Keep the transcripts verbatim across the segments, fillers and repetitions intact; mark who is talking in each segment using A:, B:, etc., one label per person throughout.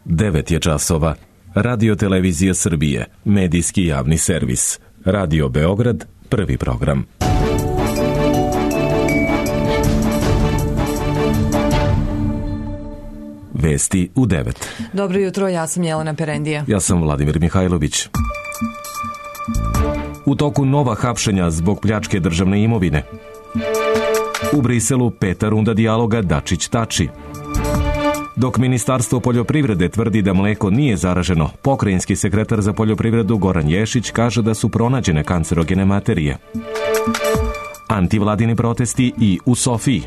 A: devet je časova. Radio Televizija Srbije, medijski javni servis. Radio Beograd, prvi program. Vesti u devet.
B: Dobro jutro, ja sam Jelena Perendija.
A: Ja sam Vladimir Mihajlović. U toku nova hapšenja zbog pljačke državne imovine. U Briselu peta runda dijaloga Dačić-Tači. Dok Ministarstvo poljoprivrede tvrdi da mleko nije zaraženo, pokrajinski sekretar za poljoprivredu Goran Ješić kaže da su pronađene kancerogene materije. Antivladini protesti i u Sofiji.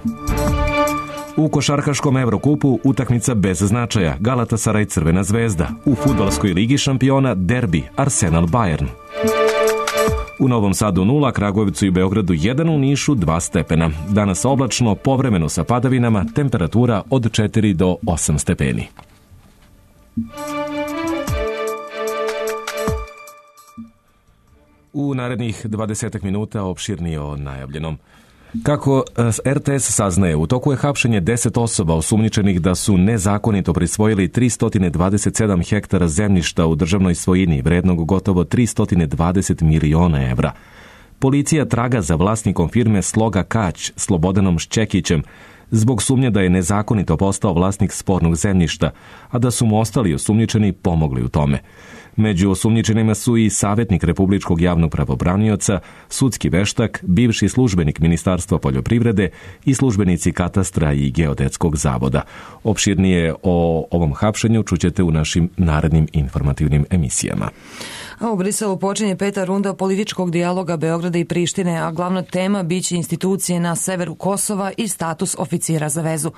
A: U košarkaškom Evrokupu utakmica bez značaja Galatasaray Crvena zvezda. U fudbalskoj ligi šampiona derbi Arsenal Bayern. U Novom Sadu nula, Kragujevcu i Beogradu jedan, u Nišu dva stepena. Danas oblačno, povremeno sa padavinama, temperatura od četiri do osam stepeni. U narednih dvadeset minuta opširnije o najavljenom. Kako er te es saznaje, u toku je hapšenje deset osoba osumnjičenih da su nezakonito prisvojili tristo dvadeset sedam hektara zemljišta u državnoj svojini vrednog gotovo tristo dvadeset miliona evra. Policija traga za vlasnikom firme Sloga Kać, Slobodanom Šćekićem, zbog sumnje da je nezakonito postao vlasnik spornog zemljišta, a da su mu ostali osumnjičeni pomogli u tome. Među osumnjičenima su i savjetnik Republičkog javnog pravobranioca, sudski veštak, bivši službenik Ministarstva poljoprivrede i službenici katastra i geodetskog zavoda. Opširnije o ovom hapšenju čućete u našim narednim informativnim emisijama.
B: A u Briselu počinje peta runda političkog dijaloga Beograda i Prištine, a glavna tema biće institucije na severu Kosova i status oficira za vezu.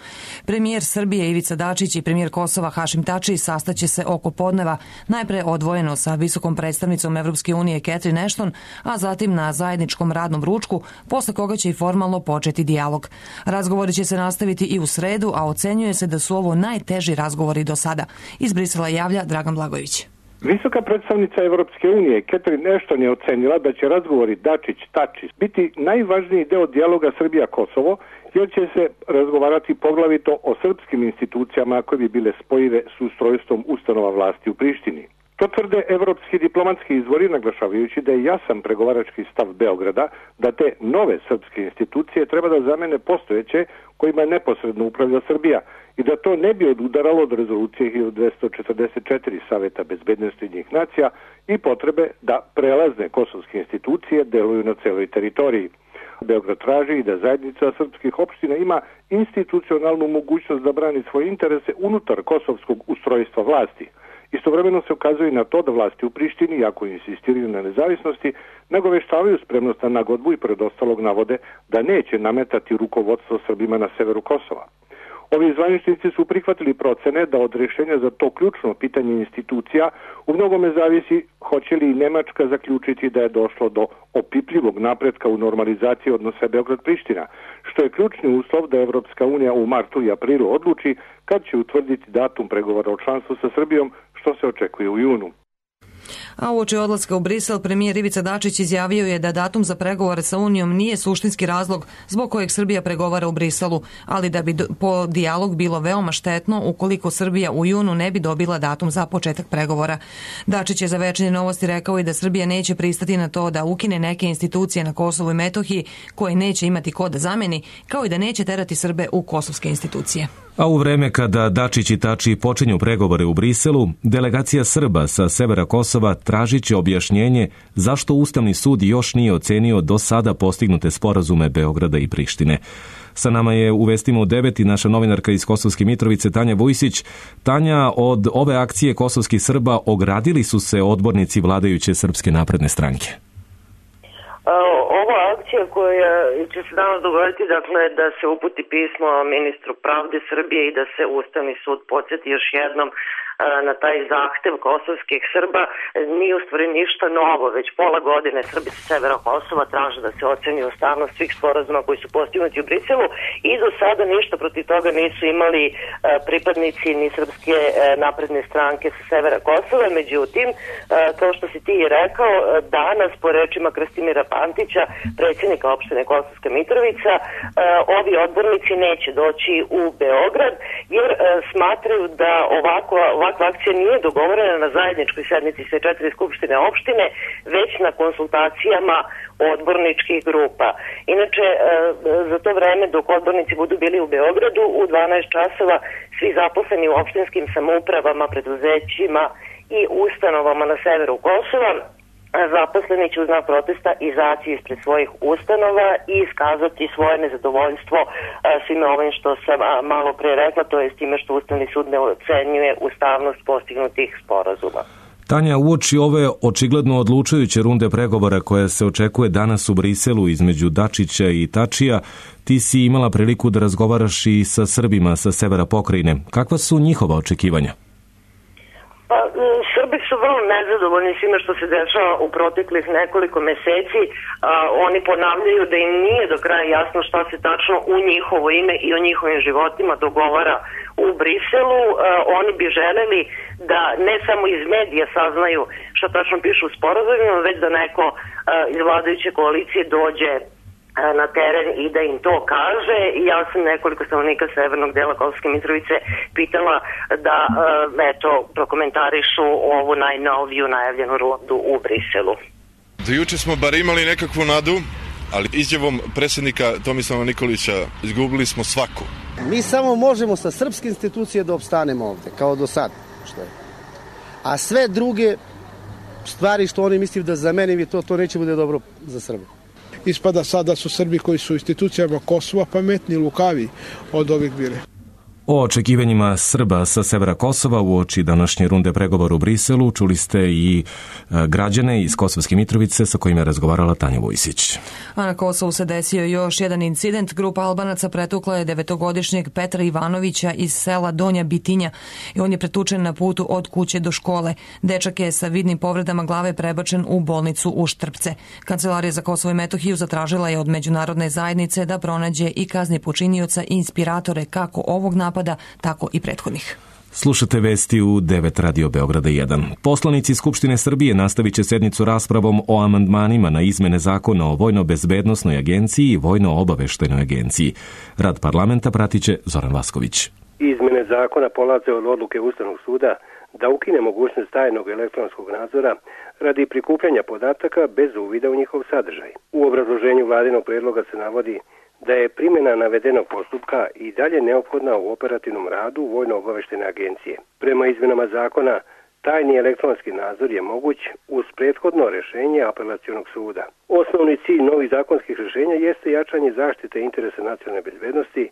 B: Premijer Srbije Ivica Dačić i premijer Kosova Hašim Tači sastaće se oko podneva, najpre odvojeno sa visokom predstavnicom Evropske unije Catherine Ashton, a zatim na zajedničkom radnom ručku, posle koga će i formalno početi dijalog. Razgovori će se nastaviti i u sredu, a ocenjuje se da su ovo najteži razgovori do sada. Iz Brisela javlja Dragan Blagojević.
C: Visoka predstavnica Evropske unije Catherine Ashton je ocenila da će razgovori Dačić-Tači biti najvažniji deo dijaloga Srbija-Kosovo, jer će se razgovarati poglavito o srpskim institucijama koje bi bile spojive s ustrojstvom ustanova vlasti u Prištini. To tvrde evropski diplomatski izvori, naglašavajući da je jasan pregovarački stav Beograda da te nove srpske institucije treba da zamene postojeće kojima neposredno upravlja Srbija i da to ne bi odudaralo od rezolucije hiljadu dvesta četrdeset četiri Saveta bezbednosti Ujedinjenih nacija i potrebe da prelazne kosovske institucije deluju na celoj teritoriji. Beograd traži i da zajednica srpskih opština ima institucionalnu mogućnost da brani svoje interese unutar kosovskog ustrojstva vlasti. Istovremeno se ukazuje i na to da vlasti u Prištini, iako insistiraju na nezavisnosti, nagoveštavaju spremnost na nagodbu i pred ostalog navode da neće nametati rukovodstvo Srbima na severu Kosova. Ovi zvaničnici su prihvatili procene da od rješenja za to ključno pitanje institucija u mnogome zavisi hoće li i Nemačka zaključiti da je došlo do opipljivog napretka u normalizaciji odnosa Beograd-Priština, što je ključni uslov da Evropska unija u martu i aprilu odluči kad će utvrditi datum pregovora o članstvu sa Srbijom, što se očekuje u junu.
B: A uoči odlaska u Brisel, premijer Ivica Dačić izjavio je da datum za pregovore sa Unijom nije suštinski razlog zbog kojeg Srbija pregovara u Briselu, ali da bi po dijalog bilo veoma štetno ukoliko Srbija u junu ne bi dobila datum za početak pregovora. Dačić je za Večernje novosti rekao i da Srbija neće pristati na to da ukine neke institucije na Kosovu i Metohiji koje neće imati ko da zameni, kao i da neće terati Srbe u kosovske institucije.
A: A u vreme kada Dačić i Tači počinju pregovore u Briselu, delegacija Srba sa severa Kosova tražit će objašnjenje zašto Ustavni sud još nije ocenio do sada postignute sporazume Beograda i Prištine. Sa nama je u Vestima u devet i naša novinarka iz Kosovske Mitrovice Tanja Vujsić. Tanja, od ove akcije kosovskih Srba ogradili su se odbornici vladajuće Srpske napredne stranke.
D: Ova akcija koja će se danas dogoditi, dakle, da se uputi pismo ministru pravde Srbije i da se Ustavni sud podsjeti još jednom na taj zahtev kosovskih Srba, nije u stvari ništa novo. Već pola godine Srbi sa severa Kosova traže da se oceni ustavnost svih sporazuma koji su postignuti u Briselu i do sada ništa protiv toga nisu imali pripadnici ni Srpske napredne stranke sa severa Kosova. Međutim, kao što si ti i rekao, danas po rečima Krstimira Pantića, predsjednika opštine Kosovska Mitrovica, ovi odbornici neće doći u Beograd jer smatraju da ovako, ovako takva akcija nije dogovorena na zajedničkoj sednici sve četiri skupštine opštine, već na konsultacijama odborničkih grupa. Inače, za to vreme dok odbornici budu bili u Beogradu, u dvanaest časova svi zaposleni u opštinskim samoupravama, preduzećima i ustanovama na severu Kosova, zaposleni će uz znak protesta izaći ispred svojih ustanova i iskazati svoje nezadovoljstvo svime ovim što sam malo pre rekla, to je s time što Ustavni sud ne ocenjuje ustavnost postignutih sporazuma.
A: Tanja, uoči ove očigledno odlučujuće runde pregovora koja se očekuje danas u Briselu između Dačića i Tačija, ti si imala priliku da razgovaraš i sa Srbima sa severa pokrajine. Kakva su njihova očekivanja?
D: Pa, Srbi su vrlo nezadovoljni svime što se dešava u proteklih nekoliko meseci. A, oni ponavljaju da im nije do kraja jasno šta se tačno u njihovo ime i o njihovim životima dogovara u Briselu. A, oni bi želeli da ne samo iz medija saznaju šta tačno pišu u sporazumima, već da neko a, iz vladajuće koalicije dođe na teren i da im to kaže. Ja sam nekoliko stanovnika severnog dela Kosovske Mitrovice pitala da eto, prokomentarišu ovu najnoviju najavljenu rundu u Briselu.
E: Do juče smo bar imali nekakvu nadu, ali izjavom predsjednika Tomislava Nikolića izgubili smo svaku.
F: Mi samo možemo sa srpske institucije da opstanemo ovde, kao do sad. Što je. A sve druge stvari što oni misle da zameni to, to neće bude dobro za Srbiju.
G: Ispada sada su Srbi koji su u institucijama Kosova pametni, lukavi od ovih bile.
A: O očekivanjima Srba sa severa Kosova uoči današnje runde pregovora u Briselu čuli ste i građane iz Kosovske Mitrovice sa kojima je razgovarala Tanja Vujsić.
B: A na Kosovu se desio još jedan incident. Grupa Albanaca pretukla je devetogodišnjeg Petra Ivanovića iz sela Donja Bitinja i on je pretučen na putu od kuće do škole. Dečak je sa vidnim povredama glave prebačen u bolnicu u Štrpce. Kancelarija za Kosovo i Metohiju zatražila je od međunarodne zajednice da pronađe i kazni počinioca i inspiratore kako ovog napada, tako i prethodnih.
A: Slušate vesti u devet Radio Beograda jedan. Poslanici Skupštine Srbije nastavit će sednicu raspravom o amandmanima na izmene zakona o Vojno-bezbednosnoj agenciji i Vojno-obaveštajnoj agenciji. Rad parlamenta pratit će Zoran Vasković.
H: Izmene zakona polaze od odluke Ustavnog suda da ukine mogućnost tajnog elektronskog nadzora radi prikupljanja podataka bez uvida u njihov sadržaj. U obrazloženju vladinog predloga se navodi da je primjena navedenog postupka i dalje neophodna u operativnom radu Vojno-obaveštajne agencije. Prema izmjenama zakona, tajni elektronski nadzor je moguć uz prethodno rješenje apelacionog suda. Osnovni cilj novih zakonskih rješenja jeste jačanje zaštite interesa nacionalne bezbednosti,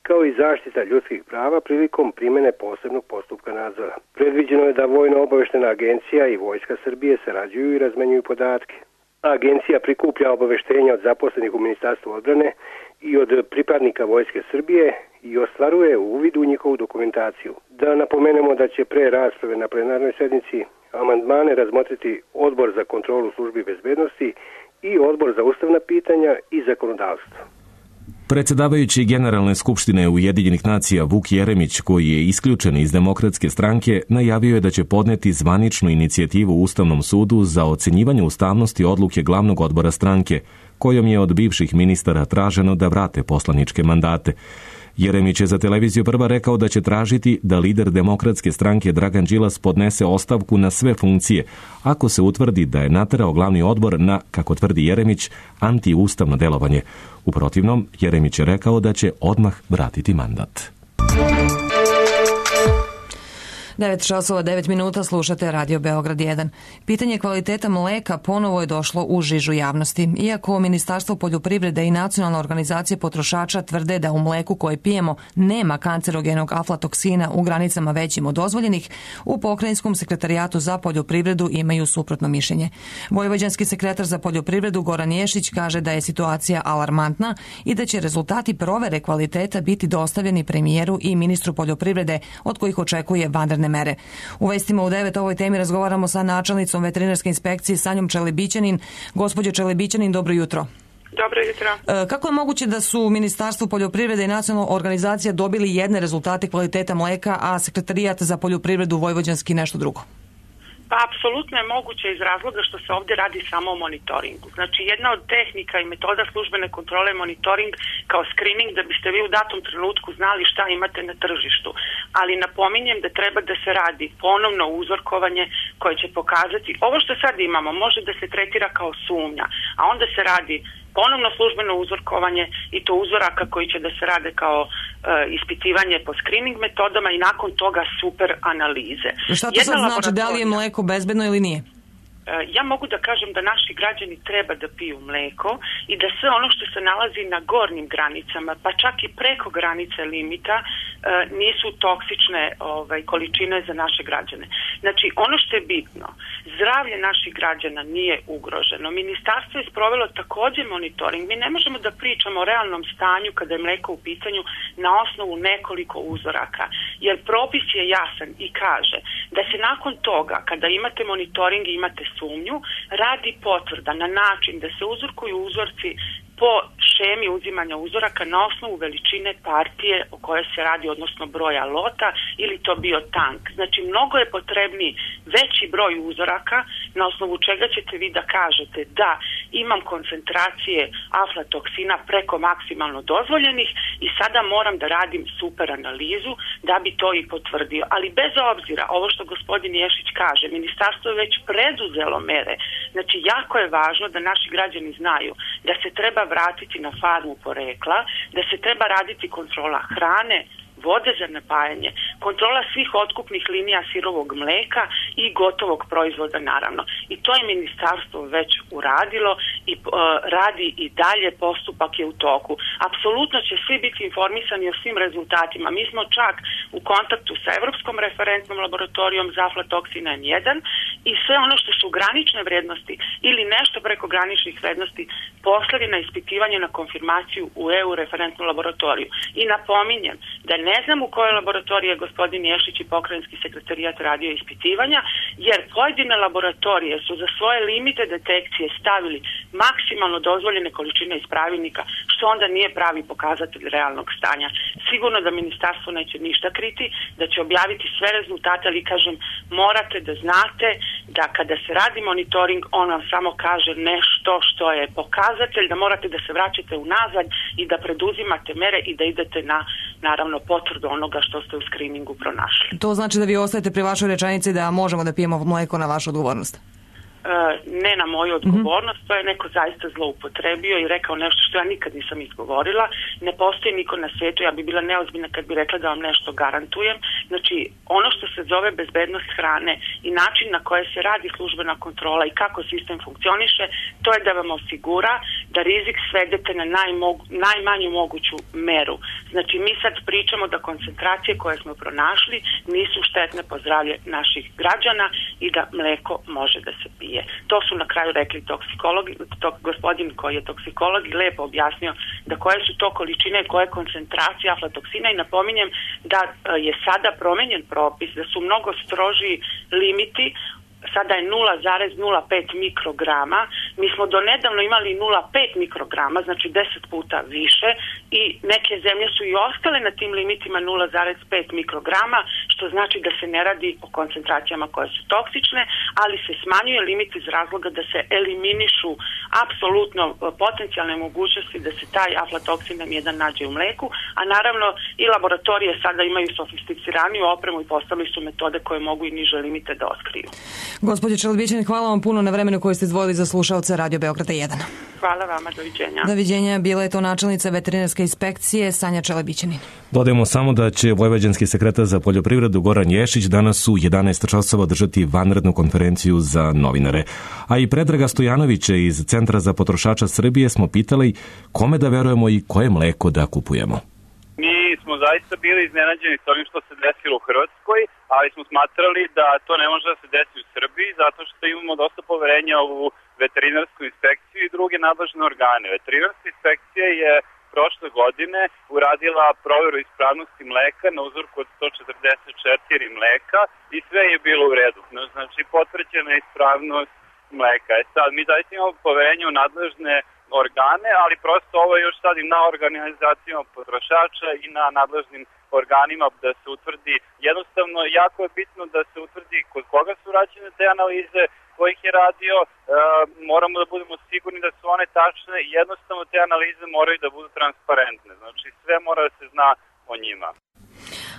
H: kao i zaštita ljudskih prava prilikom primjene posebnog postupka nadzora. Predviđeno je da Vojno-obaveštajna agencija i Vojska Srbije sarađuju i razmenjuju podatke. Agencija prikuplja obaveštenja od zaposlenih u Ministarstvu odbrane i od pripadnika Vojske Srbije i ostvaruje uvid u njihovu dokumentaciju. Da napomenemo da će pre rasprave na plenarnoj sednici amandmane razmotriti Odbor za kontrolu službi bezbednosti i Odbor za ustavna pitanja i zakonodavstvo.
A: Predsjedavajući Generalne skupštine Ujedinjenih nacija Vuk Jeremić, koji je isključen iz Demokratske stranke, najavio je da će podneti zvaničnu inicijativu Ustavnom sudu za ocenjivanje ustavnosti odluke glavnog odbora stranke, kojom je od bivših ministara traženo da vrate poslaničke mandate. Jeremić je za televiziju Prva rekao da će tražiti da lider Demokratske stranke Dragan Đilas podnese ostavku na sve funkcije, ako se utvrdi da je naterao glavni odbor na, kako tvrdi Jeremić, antiustavno delovanje. U protivnom, Jeremić je rekao da će odmah vratiti mandat.
B: devet časova devet minuta, slušate Radio Beograd jedan. Pitanje kvaliteta mleka ponovo je došlo u žižu javnosti. Iako Ministarstvo poljoprivrede i Nacionalna organizacija potrošača tvrde da u mleku koje pijemo nema kancerogenog aflatoksina u granicama većim od dozvoljenih, u Pokrajinskom sekretarijatu za poljoprivredu imaju suprotno mišljenje. Vojvođanski sekretar za poljoprivredu Goran Ješić kaže da je situacija alarmantna i da će rezultati provere kvaliteta biti dostavljeni premijeru i ministru poljoprivrede, od kojih očekuje vanredne mere. U vestima u devet ovoj temi razgovaramo sa načelnicom veterinarske inspekcije Sanjom Čelebićanin. Gospođo Čelebićanin, dobro jutro.
I: Dobro jutro.
B: E, kako je moguće da su Ministarstvo poljoprivrede i Nacionalna organizacija dobili jedne rezultate kvaliteta mleka, a Sekretarijat za poljoprivredu vojvođanski nešto drugo?
I: Pa apsolutno je moguće iz razloga što se ovdje radi samo o monitoringu. Znači jedna od tehnika i metoda službene kontrole je monitoring kao screening da biste vi u datom trenutku znali šta imate na tržištu. Ali napominjem da treba da se radi ponovno uzorkovanje koje će pokazati, ovo što sad imamo može da se tretira kao sumnja, a onda se radi ponovno službeno uzorkovanje i to uzoraka koji će da se rade kao e, ispitivanje po screening metodama i nakon toga super analize.
B: Šta to sad znači, da li je mleko bezbedno ili nije?
I: Ja mogu da kažem da naši građani treba da piju mleko i da sve ono što se nalazi na gornjim granicama, pa čak i preko granice limita, nisu toksične ovaj, količine za naše građane. Znači, ono što je bitno, zdravlje naših građana nije ugroženo. Ministarstvo je sprovelo također monitoring. Mi ne možemo da pričamo o realnom stanju kada je mleko u pitanju na osnovu nekoliko uzoraka, jer propis je jasan i kaže da se nakon toga, kada imate monitoring i imate sumnju, radi potvrda na način da se uzorkuju uzorci po šemi uzimanja uzoraka na osnovu veličine partije o kojoj se radi, odnosno broja lota, ili to bio tank. Znači, mnogo je potrebniji veći broj uzoraka na osnovu čega ćete vi da kažete da imam koncentracije aflatoksina preko maksimalno dozvoljenih i sada moram da radim super analizu da bi to i potvrdio. Ali bez obzira, ovo što gospodin Ješić kaže, ministarstvo je već preduzelo mere. Znači, jako je važno da naši građani znaju da se treba vratiti na farmu porekla, da se treba raditi kontrola hrane, vode za napajanje, kontrola svih otkupnih linija sirovog mleka i gotovog proizvoda naravno. I to je ministarstvo već uradilo i uh, radi i dalje, postupak je u toku. Apsolutno će svi biti informisani o svim rezultatima. Mi smo čak u kontaktu sa Evropskom referentnom laboratorijom za aflatoksin en jedan i sve ono što su granične vrednosti ili nešto preko graničnih vrednosti poslali na ispitivanje, na konfirmaciju u E U referentnu laboratoriju. I napominjem da ne znam u kojoj laboratoriji je gospodin Ješić i pokrajinski sekretarijat radio ispitivanja, jer pojedine laboratorije su za svoje limite detekcije stavili maksimalno dozvoljene količine iz pravilnika, što onda nije pravi pokazatelj realnog stanja. Sigurno da ministarstvo neće ništa kriti, da će objaviti sve rezultate, ali kažem, morate da znate da kada se radi monitoring, on vam samo kaže nešto što je pokazatelj, da morate da se vraćate unazad i da preduzimate mere i da idete na, naravno, potvrdu onoga što ste u skriningu pronašli.
B: To znači da vi ostajete pri vašoj rečenici da možemo da pijemo mleko na vašu odgovornost?
I: Ne na moju odgovornost, to je neko zaista zloupotrebio i rekao nešto što ja nikad nisam izgovorila. Ne postoji niko na svijetu, ja bi bila neozbiljna kad bi rekla da vam nešto garantujem. Znači, ono što se zove bezbednost hrane i način na koje se radi službena kontrola i kako sistem funkcioniše, to je da vam osigura da rizik svedete na najmogu, najmanju moguću meru. Znači, mi sad pričamo da koncentracije koje smo pronašli nisu štetne po zdravlje naših građana i da mleko može da se pije. To su na kraju rekli toksikologi, to, gospodin koji je toksikolog i lepo objasnio da koje su to količine, koje koncentracije aflatoksina i napominjem da je sada promenjen propis, da su mnogo strožiji limiti. Sada je nula zarez nula pet mikrograma. Mi smo do nedavno imali nula zarez pet mikrograma, znači deset puta više i neke zemlje su i ostale na tim limitima nula zarez pet mikrograma, što znači da se ne radi o koncentracijama koje su toksične, ali se smanjuje limit iz razloga da se eliminišu apsolutno potencijalne mogućnosti da se taj aflatoksin em jedan nađe u mleku, a naravno i laboratorije sada imaju sofisticiraniju opremu i postavili su metode koje mogu i niže limite da otkriju.
B: Gospođo Čelebićanin, hvala vam puno na vremenu koje ste izdvojili za slušaoce Radio Beograda jedan.
I: Hvala vama, doviđenja.
B: Doviđenja, bila je to načelnica veterinarske inspekcije Sanja Čelebićanin.
A: Dodajemo samo da će vojvođanski sekretar za poljoprivredu Goran Ješić danas u jedanaest časova održati vanrednu konferenciju za novinare. A i Predraga Stojanovića iz Centra za potrošača Srbije smo pitali kome da verujemo i koje mleko da kupujemo.
J: Mi smo zaista bili iznenađeni s ovim što se desilo u Hrvatskoj, ali smo smatrali da to ne može da se desi u Srbiji, zato što imamo dosta poverenja u veterinarsku inspekciju i druge nadležne organe. Veterinarska inspekcija je prošle godine uradila proveru ispravnosti mleka na uzorku od sto četrdeset četiri mleka i sve je bilo u redu. Znači, potvrđena je ispravnost mleka. E sad, mi zaista imamo poverenje u nadležne organe, ali prosto ovo je još sad i na organizacijama potrošača i na nadležnim organima da se utvrdi. Jednostavno, jako je bitno da se utvrdi ljudi, kod koga su rađene te analize, ko ih je radio, e, moramo da budemo sigurni da su one tačne i jednostavno te analize moraju da budu transparentne. Znači sve mora da se zna o njima.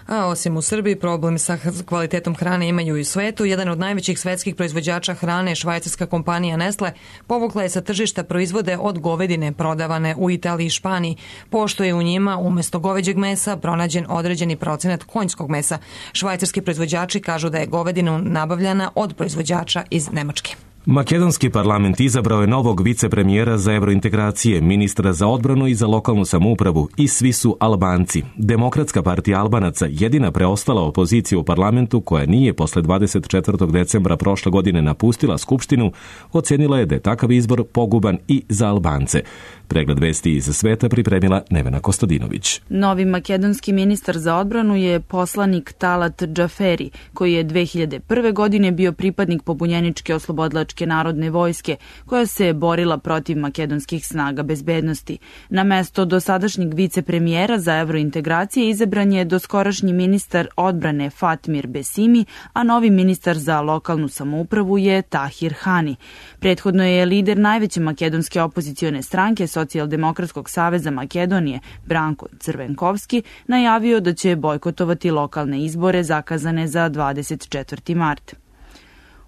B: A osim u Srbiji, problem sa kvalitetom hrane imaju i u svetu. Jedan od najvećih svetskih proizvođača hrane, švajcarska kompanija Nestle, povukla je sa tržišta proizvode od govedine prodavane u Italiji i Španiji, pošto je u njima umesto goveđeg mesa pronađen određeni procenat konjskog mesa. Švajcarski proizvođači kažu da je govedina nabavljana od proizvođača iz Nemačke.
A: Makedonski parlament izabrao je novog vicepremijera za evrointegracije, ministra za odbranu i za lokalnu samoupravu i svi su Albanci. Demokratska partija Albanaca, jedina preostala opozicija u parlamentu koja nije posle dvadeset četvrtog decembra prošle godine napustila skupštinu, ocenila je da je takav izbor poguban i za Albance. Pregled vesti iz sveta pripremila Nevena Kostadinović.
K: Novi makedonski ministar za odbranu je poslanik Talat Džaferi, koji je dve hiljade prve. godine bio pripadnik pobunjeničke oslobodilačke narodne vojske, koja se borila protiv makedonskih snaga bezbednosti. Na mesto dosadašnjeg vicepremijera za evrointegracije izabran je doskorašnji ministar odbrane Fatmir Besimi, a novi ministar za lokalnu samoupravu je Tahir Hani. Prethodno je lider najveće makedonske opozicione stranke Socijaldemokratskog saveza Makedonije, Branko Crvenkovski, najavio da će bojkotovati lokalne izbore zakazane za dvadeset četvrti mart.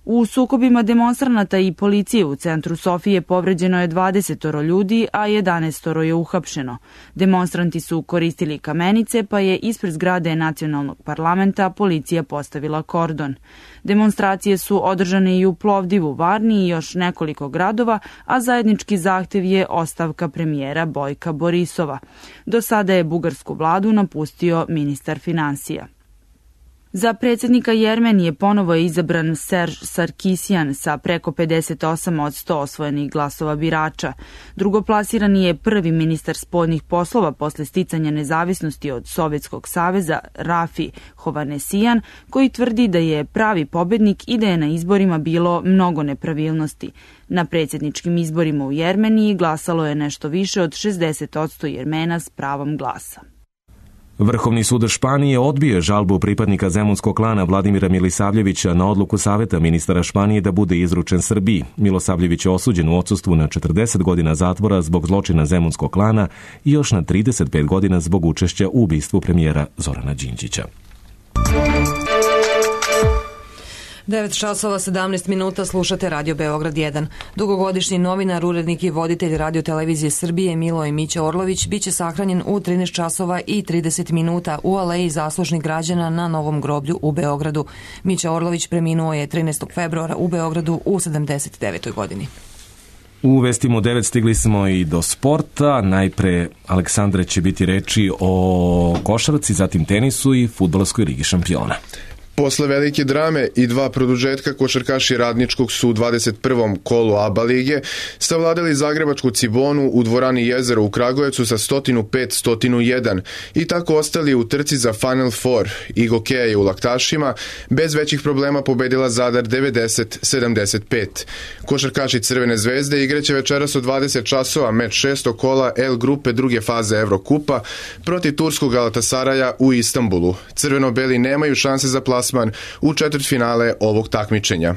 K: U sukobima demonstranata i policije u centru Sofije povređeno je dvadeset ljudi, a jedanaest je uhapšeno. Demonstranti su koristili kamenice, pa je ispred zgrade nacionalnog parlamenta policija postavila kordon. Demonstracije su održane i u Plovdivu, Varni i još nekoliko gradova, a zajednički zahtev je ostavka premijera Bojka Borisova. Do sada je bugarsku vladu napustio ministar finansija. Za predsjednika Jermenije ponovo je izabran Serž Sarkisjan sa preko pedeset osam od sto osvojenih glasova birača. Drugoplasirani je prvi ministar spoljnih poslova posle sticanja nezavisnosti od Sovjetskog saveza Rafi Hovanesijan, koji tvrdi da je pravi pobednik i da je na izborima bilo mnogo nepravilnosti. Na predsjedničkim izborima u Jermeniji glasalo je nešto više od šezdeset posto Jermena s pravom glasa.
A: Vrhovni sud Španije odbio žalbu pripadnika zemunskog klana Vladimira Milisavljevića na odluku Saveta ministara Španije da bude izručen Srbiji. Milosavljević je osuđen u odsustvu na četrdeset godina zatvora zbog zločina zemunskog klana i još na trideset pet godina zbog učešća u ubistvu premijera Zorana Đinđića.
B: devet časova sedamnaest minuta, slušate Radio Beograd jedan. Dugogodišnji novinar, urednik i voditelj Radio televizije Srbije Miloj Mića Orlović biće sahranjen u trinaest časova i trideset minuta u Aleji zaslužnih građana na Novom groblju u Beogradu. Mića Orlović preminuo je trinaestog februara u Beogradu u sedamdeset devetoj godini.
A: U vestima u devet stigli smo i do sporta. Najpre, Aleksandre, će biti reči o košarci, zatim tenisu i fudbalskoj ligi šampiona.
L: Posle velike drame i dva produžetka, košarkaši Radničkog su u dvadeset prvom kolu A B A lige savladali zagrebačku Cibonu u dvorani Jezero u Kragujevcu sa sto pet sto jedan i tako ostali u trci za Final Four. Igokeja je u Laktašima bez većih problema pobedila Zadar devedeset sedamdeset pet. Košarkaši Crvene zvezde igraće večeras od dvadeset časova meč šestog kola L grupe druge faze Evrokupa protiv turskog Galatasaraja u Istanbulu. Crveno-beli nemaju šanse za plasman u četvrtfinale ovog takmičenja.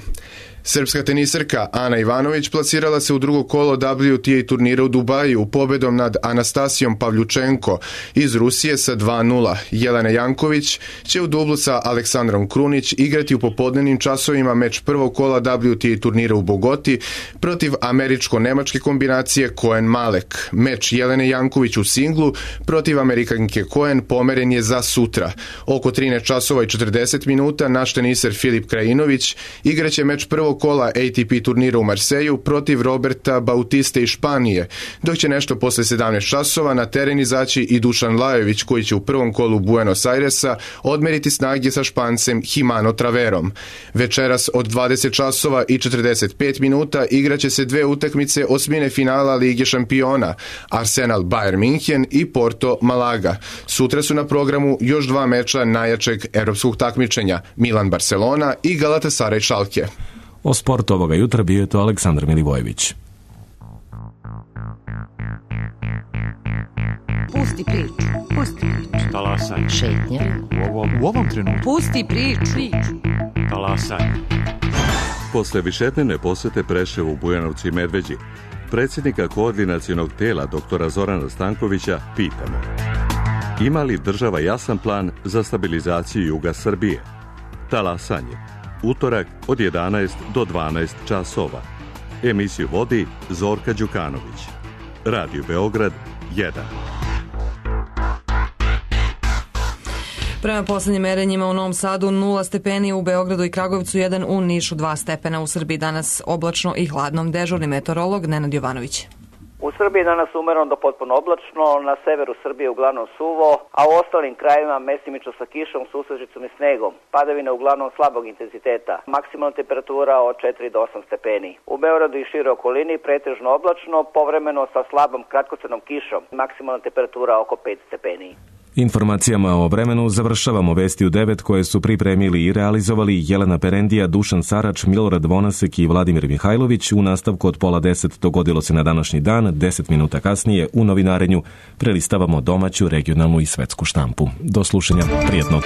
L: Srpska teniserka Ana Ivanović plasirala se u drugo kolo W T A turnira u Dubaju pobedom nad Anastasijom Pavljučenko iz Rusije sa dva nula. Jelena Janković će u dublu sa Aleksandrom Krunić igrati u popodnevnim časovima meč prvog kola W T A turnira u Bogoti protiv američko-nemačke kombinacije Cohen-Malek. Meč Jelene Janković u singlu protiv Amerikanke Cohen pomeren je za sutra. Oko trinaest časova i četrdeset minuta naš teniser Filip Krajinović igraće meč prvog kola A T P turnira u Marseju protiv Roberta Bautiste iz Španije, dok će nešto posle sedamnaest časova na teren izaći i Dušan Lajović, koji će u prvom kolu Buenos Airesa odmeriti snage sa Špancem Himano Traverom. Večeras od dvadeset časova i četrdeset pet minuta igraće se dve utakmice osmine finala Lige šampiona, Arsenal Bayern Minhen i Porto Malaga. Sutra su na programu još dva meča najjačeg evropskog takmičenja, Milan Barcelona i Galatasaray Schalke.
A: O sportu ovoga jutra bio je to Aleksandar Milivojević.
M: Pusti priču, pusti priču.
N: Talasaj.
M: Šetnja.
N: U ovom, u ovom trenutku.
M: Pusti priču.
N: Talasaj.
O: Posle višednevne posete Preševu, Bujanovcu i Medveđi, predsjednika koordinacionog tela doktora Zorana Stankovića pitamo: ima li država jasan plan za stabilizaciju juga Srbije? Talasanje. Utorak od jedanaest do dvanaest časova. Emisiju vodi Zorka Đukanović. Radio Beograd jedan.
B: Prema poslednjim merenjima u Novom Sadu nula stepeni, u Beogradu i Kragujevcu jedan, u Nišu dva stepena. U Srbiji danas oblačno i hladno. Dežurni meteorolog Nenad Jovanović.
P: U Srbiji danas umereno do potpuno oblačno, na severu Srbije uglavnom suvo, a u ostalim krajevima mestimično sa kišom, susađicom i snegom. Padavine uglavnom slabog intenziteta. Maksimalna temperatura od četiri do osam stepeni. U Beogradu i široj okolini pretežno oblačno, povremeno sa slabom kratkocrnom kišom. Maksimalna temperatura oko pet stepeni.
A: Informacijama o vremenu završavamo vesti u devet koje su pripremili i realizovali Jelena Perendija, Dušan Sarač, Milorad Vonasek i Vladimir Mihajlović. U nastavku od pola deset dogodilo se na današnji dan. Deset minuta kasnije u novinarenju prelistavamo domaću, regionalnu i svetsku štampu. Do slušanja, prijetno.